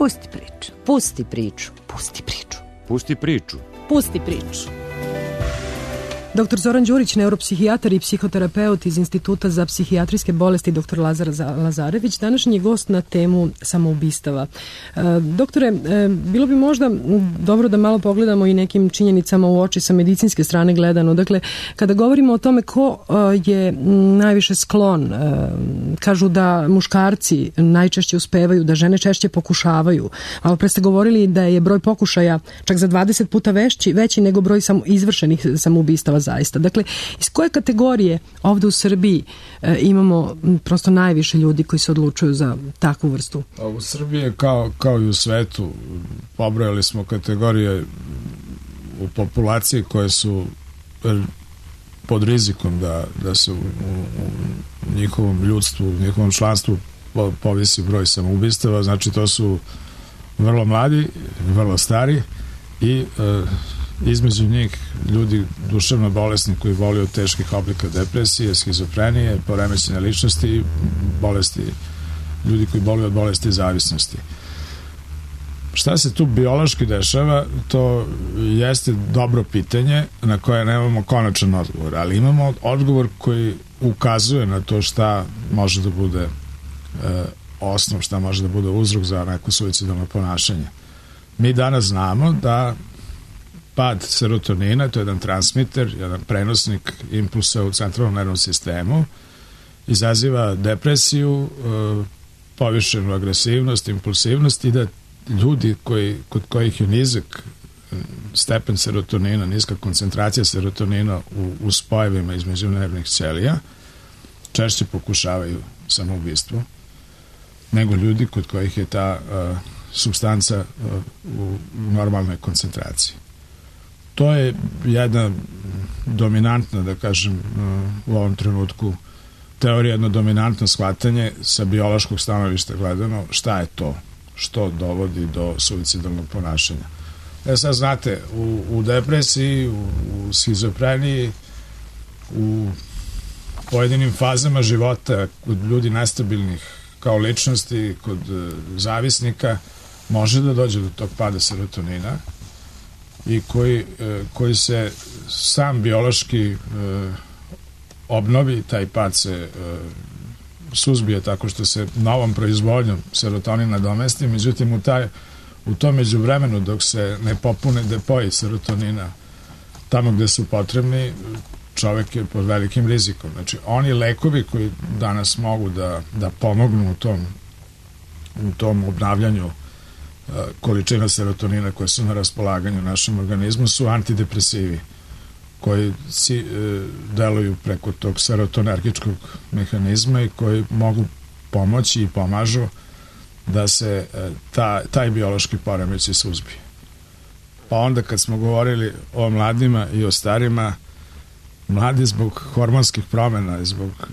Pusti priču. Pusti priču. Pusti priču. Pusti priču. Pusti priču. Doktor Zoran Đurić, neuropsihijatar i psihoterapeut iz Instituta za psihijatrijske bolesti doktor Lazar Lazarević, današnji je gost na temu samoubistava. E, doktore, e, bilo bi možda dobro da malo pogledamo i nekim činjenicama u oči sa medicinske strane gledano. Dakle, kada govorimo o tome ko e, je najviše sklon, e, kažu da muškarci najčešće uspevaju, da žene češće pokušavaju. Malo pre ste govorili da je broj pokušaja čak za dvadeset puta veći, veći nego broj sam, izvršenih samoubistava zaista. Dakle, iz koje kategorije ovde u Srbiji e, imamo prosto najviše ljudi koji se odlučuju za takvu vrstu? A u Srbiji kao, kao i u svetu pobrojali smo kategorije u populaciji koje su pod rizikom da, da se u, u, u njihovom ljudstvu, u njihovom članstvu povisi broj samoubistava. Znači to su vrlo mladi, vrlo stari i e, između njih ljudi duševno bolesni koji boluju od teških oblika depresije, skizofrenije, poremećene ličnosti i bolesti, ljudi koji boluju od bolesti zavisnosti. Šta se tu biološki dešava, to jeste dobro pitanje na koje nemamo konačan odgovor, ali imamo odgovor koji ukazuje na to šta može da bude e, osnov, šta može da bude uzrok za neko suicidalno ponašanje. Mi danas znamo da pad serotonina, to je jedan transmiter, jedan prenosnik impulsa u centralnom nervnom sistemu, izaziva depresiju, povišenu agresivnost, impulsivnost i da ljudi koji, kod kojih je nizak stepen serotonina, niska koncentracija serotonina u, u spojevima između nervnih ćelija, češće pokušavaju samoubistvo nego ljudi kod kojih je ta uh, supstanca uh, u normalnoj koncentraciji. To je jedna dominantna, da kažem, u ovom trenutku teorija, jedno dominantno shvatanje sa biološkog stanovišta gledano šta je to što dovodi do suicidalnog ponašanja. E sad znate, u, u depresiji, u, u schizofreniji, u pojedinim fazama života kod ljudi nestabilnih kao ličnosti, kod zavisnika, može da dođe do tog pada serotonina i koji, koji se sam biološki obnovi, taj pad se suzbije tako što se novom proizvodnjom serotonina domesti, međutim u, taj, u tom međuvremenu dok se ne popune depoji serotonina tamo gde su potrebni, čovek je pod velikim rizikom. Znači, oni lekovi koji danas mogu da, da pomognu u tom, u tom obnavljanju količina serotonina koje su na raspolaganju našem organizmu su antidepresivi koji si, e, deluju preko tog serotonergičkog mehanizma i koji mogu pomoći i pomažu da se e, ta, taj biološki poremećaj suzbije. Pa onda kad smo govorili o mladima i o starima, mladi zbog hormonskih promena i zbog e,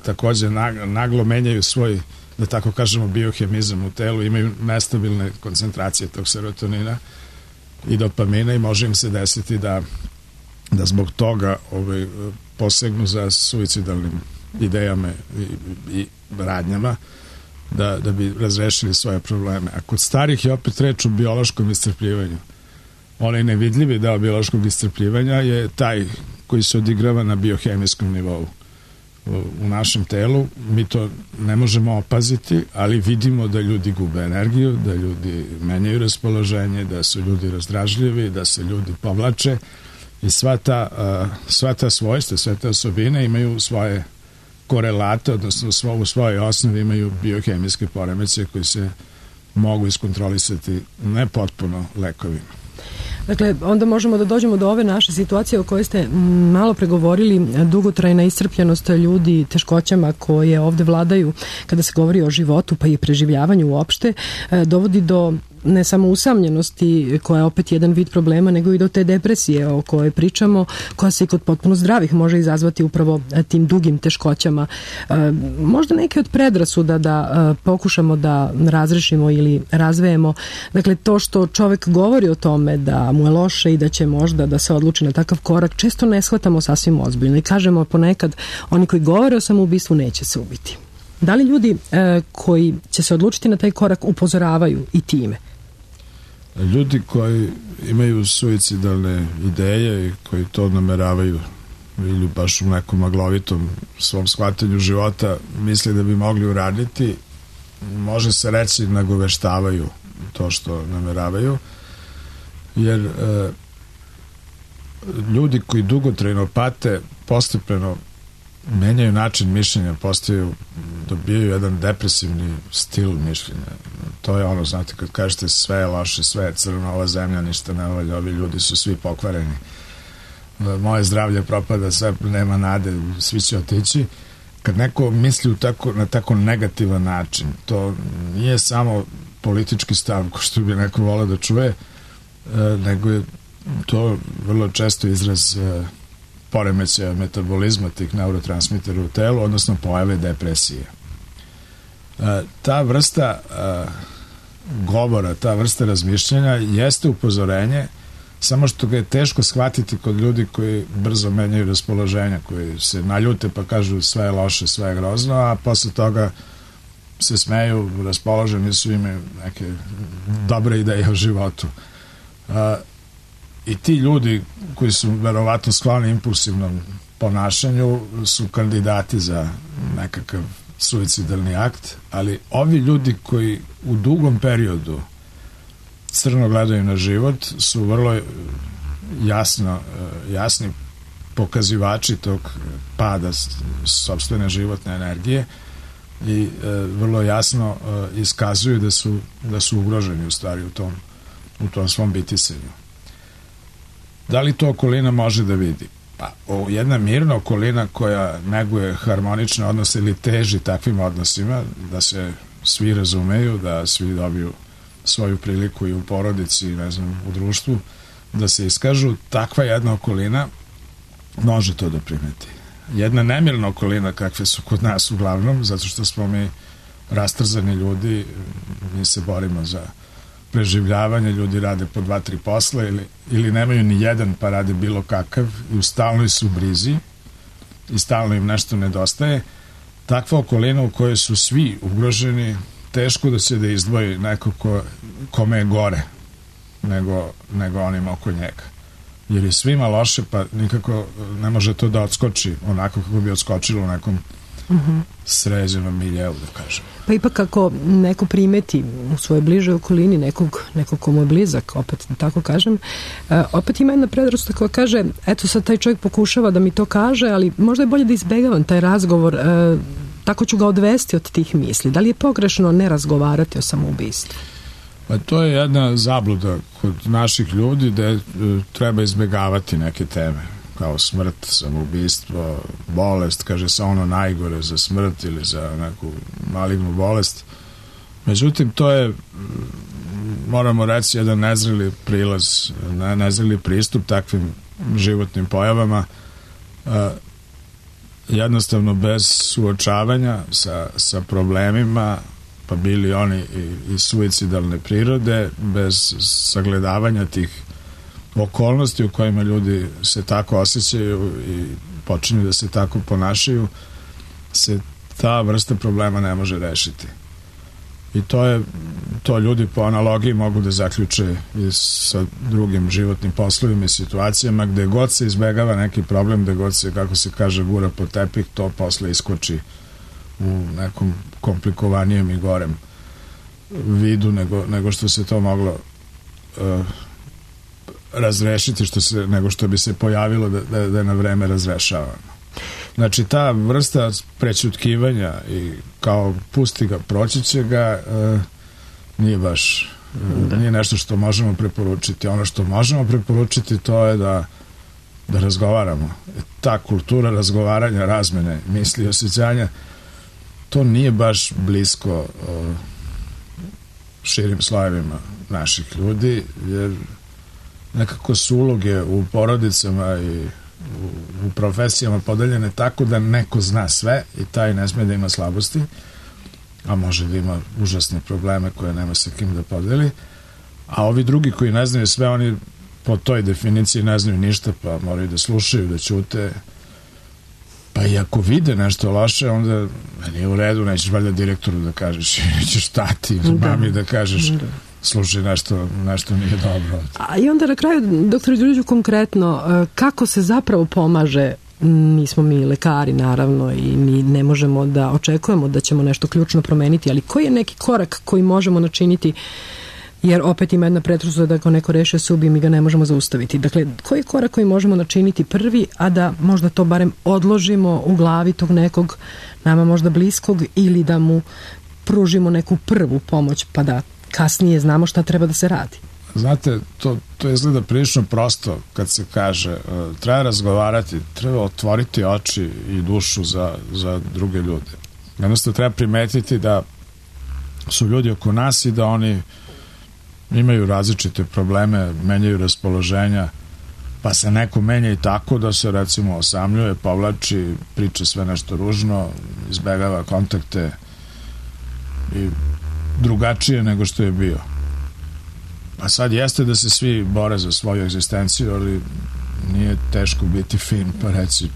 takođe naglo menjaju svoj, da tako kažemo, biohemizam u telu, imaju nestabilne koncentracije tog serotonina i dopamina i može im se desiti da, da zbog toga ovaj, posegnu za suicidalnim idejama i, i radnjama da, da bi razrešili svoje probleme. A kod starih je opet reč o biološkom iscrpljivanju. Onaj nevidljivi deo biološkog iscrpljivanja je taj koji se odigrava na biohemijskom nivou u našem telu. Mi to ne možemo opaziti, ali vidimo da ljudi gube energiju, da ljudi menjaju raspoloženje, da su ljudi razdražljivi, da se ljudi povlače i sva ta, sva ta svojstva, sve te osobine imaju svoje korelate, odnosno u svojoj osnovi imaju biohemijske poremećaje koji se mogu iskontrolisati ne potpuno lekovima. Dakle, onda možemo da dođemo do ove naše situacije o kojoj ste malo pregovorili, dugotrajna iscrpljenost ljudi, teškoćama koje ovde vladaju kada se govori o životu pa i preživljavanju uopšte, dovodi do ne samo usamljenosti, koja je opet jedan vid problema, nego i do te depresije o kojoj pričamo, koja se i kod potpuno zdravih može izazvati upravo tim dugim teškoćama. Možda neke od predrasuda da pokušamo da razrešimo ili razvejemo. Dakle, to što čovek govori o tome da mu je loše i da će možda da se odluči na takav korak, često ne shvatamo sasvim ozbiljno i kažemo ponekad, oni koji govore o samoubistvu neće se ubiti. Da li ljudi e, koji će se odlučiti na taj korak upozoravaju i time? Ljudi koji imaju suicidalne ideje i koji to nameravaju ili baš u nekom maglovitom svom shvatanju života misle da bi mogli uraditi, može se reći nagoveštavaju to što nameravaju, jer e, ljudi koji dugotrajno pate postepeno menjaju način mišljenja, postaju, dobijaju jedan depresivni stil mišljenja. To je ono, znate, kad kažete sve je loše, sve je crno, ova zemlja ništa ne valja, ovi ljudi su svi pokvareni, moje zdravlje propada, sve nema nade, svi će otići. Kad neko misli u tako, na tako negativan način, to nije samo politički stav, ko što bi neko voleo da čuje, nego je to vrlo često izraz poremećaja metabolizma tih neurotransmitera u telu, odnosno pojave depresije. Ta vrsta govora, ta vrsta razmišljanja jeste upozorenje, samo što ga je teško shvatiti kod ljudi koji brzo menjaju raspoloženja, koji se naljute pa kažu sve je loše, sve je grozno, a posle toga se smeju, raspoloženi su, imaju neke dobre ideje o životu. I ti ljudi koji su verovatno skloni impulsivnom ponašanju su kandidati za nekakav suicidalni akt, ali ovi ljudi koji u dugom periodu crno gledaju na život su vrlo jasno, jasni pokazivači tog pada sopstvene životne energije i vrlo jasno iskazuju da su, da su ugroženi u stvari u tom, u tom svom bitisenju. Da li to okolina može da vidi? Pa, jedna mirna okolina koja neguje harmonične odnose ili teži takvim odnosima, da se svi razumeju, da svi dobiju svoju priliku i u porodici, ne znam, u društvu, da se iskažu, takva jedna okolina može to da primeti. Jedna nemirna okolina, kakve su kod nas uglavnom, zato što smo mi rastrzani ljudi, mi se borimo za preživljavanje, ljudi rade po dva, tri posla ili, ili nemaju ni jedan pa rade bilo kakav i u stalnoj su brizi i stalno im nešto nedostaje. Takva okolina u kojoj su svi ugroženi, teško da se da izdvoji neko ko, kome je gore nego, nego onim oko njega. Jer je svima loše, pa nikako ne može to da odskoči onako kako bi odskočilo u nekom uh-huh. sređenom miljeu, da kažem. Pa ipak ako neko primeti u svojoj bližoj okolini nekog, nekog ko mu je blizak, opet da tako kažem, uh, opet ima jedna predrasuda koja kaže, eto sad taj čovjek pokušava da mi to kaže, ali možda je bolje da izbegavam taj razgovor, uh, tako ću ga odvesti od tih misli. Da li je pogrešno ne razgovarati o samoubistvu? Pa to je jedna zabluda kod naših ljudi da je, treba izbegavati neke teme kao smrt, samoubistvo, bolest, kaže se ono najgore za smrt ili za neku malignu bolest. Međutim, to je, moramo reći, jedan nezreli prilaz, nezreli pristup takvim životnim pojavama, jednostavno bez suočavanja sa, sa problemima, pa bili oni i, i suicidalne prirode, bez sagledavanja tih okolnosti u kojima ljudi se tako osjećaju i počinju da se tako ponašaju, se ta vrsta problema ne može rešiti. I to je, to ljudi po analogiji mogu da zaključe i sa drugim životnim poslovima i situacijama, gde god se izbegava neki problem, gde god se, kako se kaže, gura po tepih, to posle iskoči u nekom komplikovanijem i gorem vidu nego, nego što se to moglo uh, razrešiti, što se, nego što bi se pojavilo da, da, da je na vreme razrešavano. Znači, ta vrsta prećutkivanja i kao pusti ga, proći će ga, uh, nije baš uh, nije nešto što možemo preporučiti. Ono što možemo preporučiti to je da da razgovaramo. Ta kultura razgovaranja, razmene misli i osjećanja, to nije baš blisko uh, širim slojevima naših ljudi, jer nekako su uloge u porodicama i u, u profesijama podeljene tako da neko zna sve i taj ne sme da ima slabosti, a može da ima užasne probleme koje nema sa kim da podeli, a ovi drugi koji ne znaju sve, oni po toj definiciji ne znaju ništa, pa moraju da slušaju, da ćute, Pa i ako vide nešto loše, onda nije u redu, nećeš valjda direktoru da kažeš, ćeš stati, da. Mami da kažeš, da. Slušaj, nešto, nešto nije dobro. A i onda na kraju, doktor Đuriću, konkretno, kako se zapravo pomaže? Mi smo mi lekari, naravno, i mi ne možemo da očekujemo da ćemo nešto ključno promeniti, ali koji je neki korak koji možemo načiniti, jer opet ima jedna predrasuda da ako neko reši se ubije, mi ga ne možemo zaustaviti. Dakle, koji je korak koji možemo načiniti prvi, a da možda to barem odložimo u glavi tog nekog nama možda bliskog, ili da mu pružimo neku prvu pomoć, pa da kasnije znamo šta treba da se radi? Znate, to, to izgleda prilično prosto kad se kaže uh, treba razgovarati, treba otvoriti oči i dušu za, za druge ljude. Jednostavno treba primetiti da su ljudi oko nas i da oni imaju različite probleme, menjaju raspoloženja, pa se neko menja i tako da se recimo osamljuje, povlači, priča sve nešto ružno, izbegava kontakte i drugačije nego što je bio. A sad jeste da se svi bore za svoju egzistenciju, ali nije teško biti fin pa reći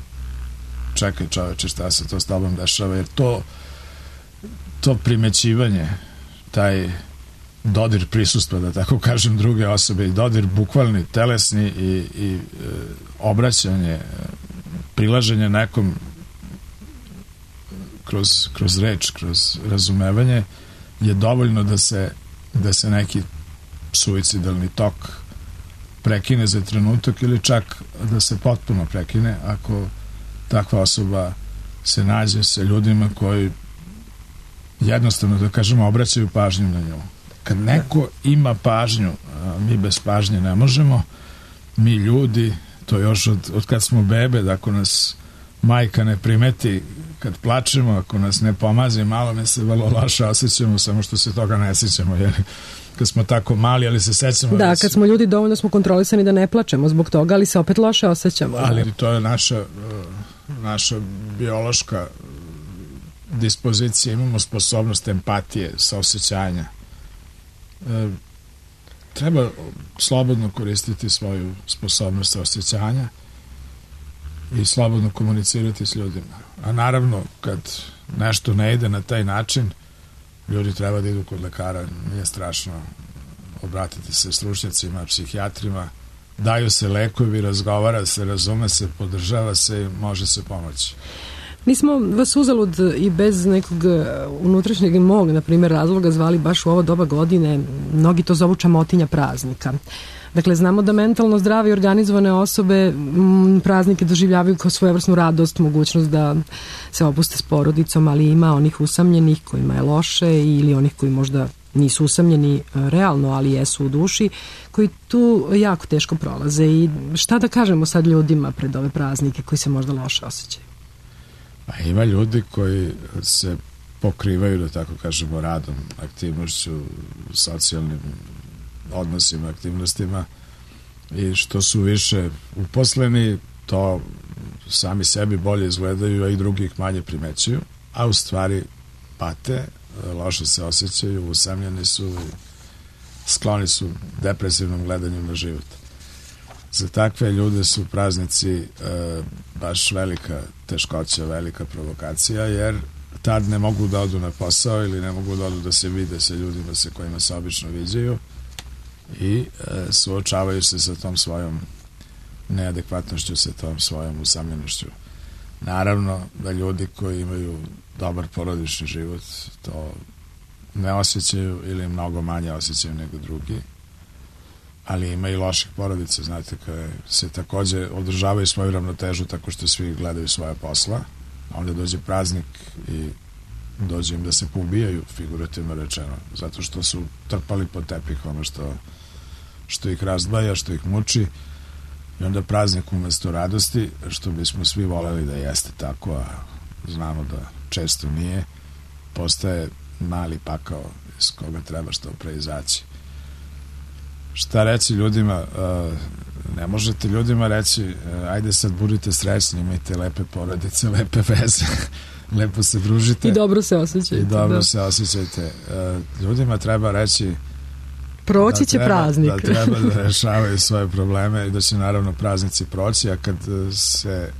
čekaj čoveče, šta se to s tobom dešava, jer to to primećivanje, taj dodir prisustva, da tako kažem, druge osobe i dodir bukvalni, telesni i, i e, obraćanje, prilaženje nekom kroz, kroz reč, kroz razumevanje je dovoljno da se, da se neki suicidalni tok prekine za trenutak ili čak da se potpuno prekine ako takva osoba se nađe sa ljudima koji jednostavno, da kažemo, obraćaju pažnju na nju. Kad neko ima pažnju, mi bez pažnje ne možemo, mi ljudi, to još od, od kad smo bebe, da ako nas majka ne primeti kad plačemo, ako nas ne pomazi malo, mi se vrlo loše osjećamo, samo što se toga ne sjećamo, jer kad smo tako mali, ali se sećamo. Da, da kad smo ljudi dovoljno smo kontrolisani da ne plačemo zbog toga, ali se opet loše osjećamo. Ali to je naša, naša biološka dispozicija, imamo sposobnost empatije, saosećanja. E, treba slobodno koristiti svoju sposobnost saosećanja i slobodno komunicirati s ljudima. A naravno, kad nešto ne ide na taj način, ljudi treba da idu kod lekara, nije strašno, obratiti se stručnjacima, psihijatrima, daju se lekovi, razgovara se, razume se, podržava se i može se pomoći. Nismo vas uzalud i bez nekog unutrašnjeg mog, na primjer, razloga zvali baš u ovo doba godine, mnogi to zovu čamotinja praznika. Dakle, znamo da mentalno zdrave i organizovane osobe m, praznike doživljavaju kao svojevrsnu radost, mogućnost da se opuste s porodicom, ali ima onih usamljenih kojima je loše ili onih koji možda nisu usamljeni realno, ali jesu u duši, koji tu jako teško prolaze. I šta da kažemo sad ljudima pred ove praznike koji se možda loše osjećaju? A ima ljudi koji se pokrivaju, da tako kažemo, radom, aktivnošću, socijalnim odnosima, aktivnostima, i što su više uposleni, to sami sebi bolje izgledaju, a i drugih manje primećuju, a u stvari pate, loše se osjećaju, usamljeni su i skloni su depresivnom gledanju na život. Za takve ljude su praznici e, baš velika teškoća, velika provokacija, jer tad ne mogu da odu na posao ili ne mogu da odu da se vide sa ljudima sa kojima se obično viđaju i e, suočavaju se sa tom svojom neadekvatnošću, sa tom svojom usamljenošću. Naravno da ljudi koji imaju dobar porodični život to ne osjećaju ili mnogo manje osjećaju nego drugi, ali ima i loših porodica, znate, koje se takođe održavaju svoju ravnotežu tako što svi gledaju svoje posla, a onda dođe praznik i dođe im da se poubijaju, figurativno rečeno, zato što su trpali pod tepih ono što, što ih razdvaja, što ih muči, i onda praznik umesto radosti, što bismo svi voleli da jeste tako, a znamo da često nije, postaje mali pakao iz koga treba što pre izaći. Šta reći ljudima? Ne možete ljudima reći ajde sad budite srećni, imajte lepe porodice, lepe veze, lepo se družite i dobro se osjećajte. I dobro da. se osjećajte. Ljudima treba reći proći će da treba, praznik. Da treba da rešavaju svoje probleme i da će naravno praznici proći, a kad se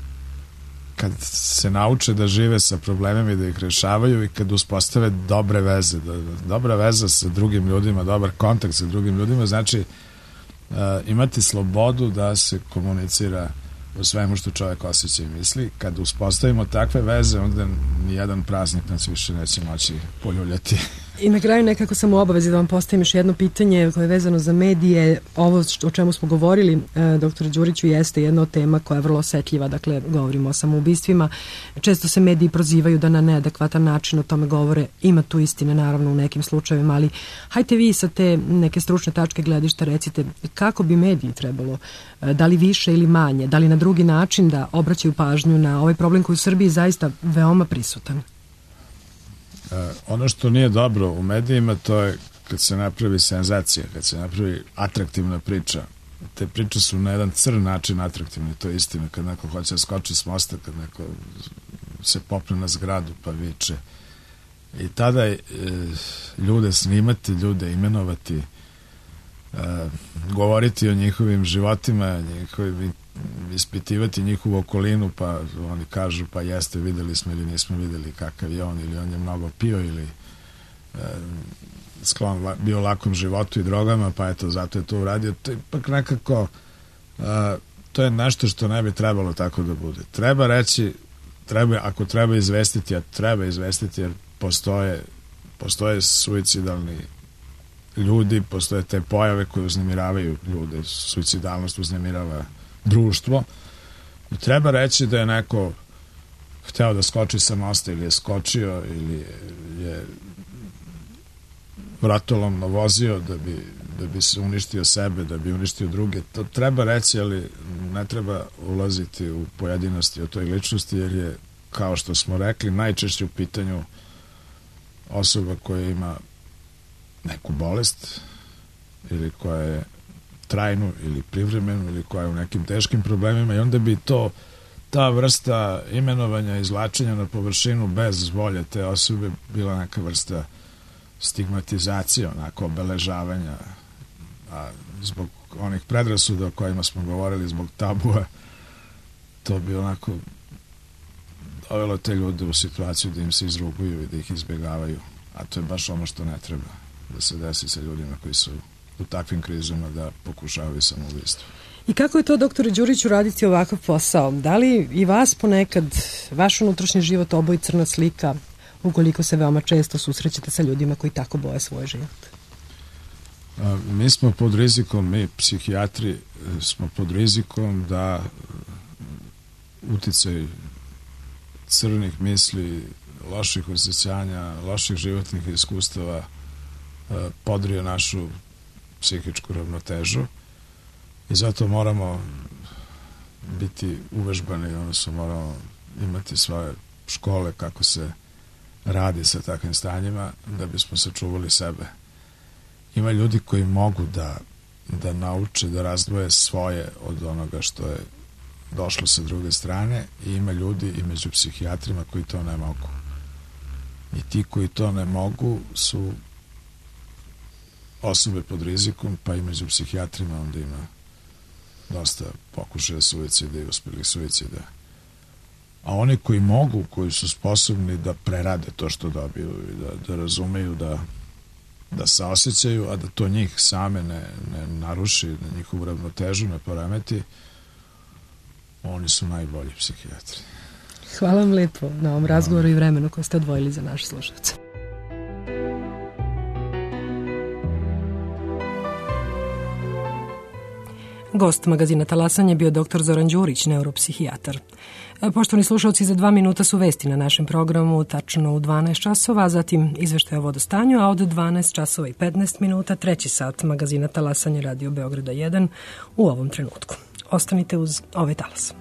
kad se nauče da žive sa problemima i da ih rešavaju i kad uspostave dobre veze, da, dobra veza sa drugim ljudima, dobar kontakt sa drugim ljudima, znači uh, imati slobodu da se komunicira o svemu što čovjek osjeća i misli. Kad uspostavimo takve veze, onda nijedan praznik nas više neće moći poljuljati. I na kraju nekako sam u obavezi da vam postavim još jedno pitanje koje je vezano za medije. Ovo o čemu smo govorili, e, doktore Đuriću, jeste jedna od tema koja je vrlo osetljiva, dakle govorimo o samoubistvima. Često se mediji prozivaju da na neadekvatan način o tome govore. Ima tu istine naravno u nekim slučajevima, ali hajte vi sa te neke stručne tačke gledišta recite kako bi mediji trebalo, e, da li više ili manje, da li na drugi način da obraćaju pažnju na ovaj problem koji u Srbiji zaista veoma prisutan. Uh, ono što nije dobro u medijima, to je kad se napravi senzacija, kad se napravi atraktivna priča. Te priče su na jedan crn način atraktivne, to je istina. Kad neko hoće da skoči s mosta, kad neko se popne na zgradu pa viče. I tada e, ljude snimati, ljude imenovati, e, govoriti o njihovim životima, njihovim, ispitivati njihovu okolinu, pa oni kažu pa jeste, videli smo ili nismo videli kakav je on, ili on je mnogo pio ili e, sklon bio lakom životu i drogama, pa eto zato je to uradio. To je ipak nekako e, to je nešto što ne bi trebalo tako da bude. Treba reći, treba, ako treba izvestiti, a treba izvestiti jer postoje postoje suicidalni ljudi, postoje te pojave koje uznemiravaju ljude, suicidalnost uznemirava društvo. I treba reći da je neko hteo da skoči sa mosta ili je skočio ili je vratolomno vozio da bi, da bi se uništio sebe, da bi uništio druge. To treba reći, ali ne treba ulaziti u pojedinosti o toj ličnosti, jer je, kao što smo rekli, najčešće u pitanju osoba koja ima neku bolest ili koja je trajnu ili privremenu ili koja je u nekim teškim problemima, i onda bi to, ta vrsta imenovanja, izvlačenja na površinu bez volje te osobe bila neka vrsta stigmatizacije, onako obeležavanja, a zbog onih predrasuda o kojima smo govorili, zbog tabua, to bi onako dovelo te ljude u situaciju da im se izruguju i da ih izbjegavaju, a to je baš ono što ne treba da se desi sa ljudima koji su u takvim krizama, da pokušavaju samoubistvo. I kako je to, doktore Đuriću, raditi ovakav posao? Da li i vas ponekad, vaš unutrašnji život oboji crna slika, ukoliko se veoma često susrećete sa ljudima koji tako boje svoj život? A, mi smo pod rizikom, mi psihijatri smo pod rizikom da uticaj crnih misli, loših osjećanja, loših životnih iskustava podrije našu psihičku ravnotežu, i zato moramo biti uvežbani, odnosno moramo imati svoje škole kako se radi sa takvim stanjima da bismo sačuvali sebe. Ima ljudi koji mogu da, da nauče da razdvoje svoje od onoga što je došlo sa druge strane, i ima ljudi i među psihijatrima koji to ne mogu. I ti koji to ne mogu su osobe pod rizikom, pa i među psihijatrima onda ima dosta pokušaja suicida i uspjelih suicida. A oni koji mogu, koji su sposobni da prerade to što dobiju i da, da razumeju, da, da se osjećaju, a da to njih same ne, ne naruši, na njihovu ravnotežu ne poremeti, oni su najbolji psihijatri. Hvala vam lepo na ovom razgovoru i vremenu koje ste odvojili za naše slušalce. Gost magazina Talasanje je bio doktor Zoran Đurić, neuropsihijatar. Poštovani slušalci, za dva minuta su vesti na našem programu, tačno u dvanaest časova, a zatim izveštaj o vodostanju, a od dvanaest časova i petnaest minuta treći sat magazina Talasanje Radio Beograda jedan u ovom trenutku. Ostanite uz ovaj talas.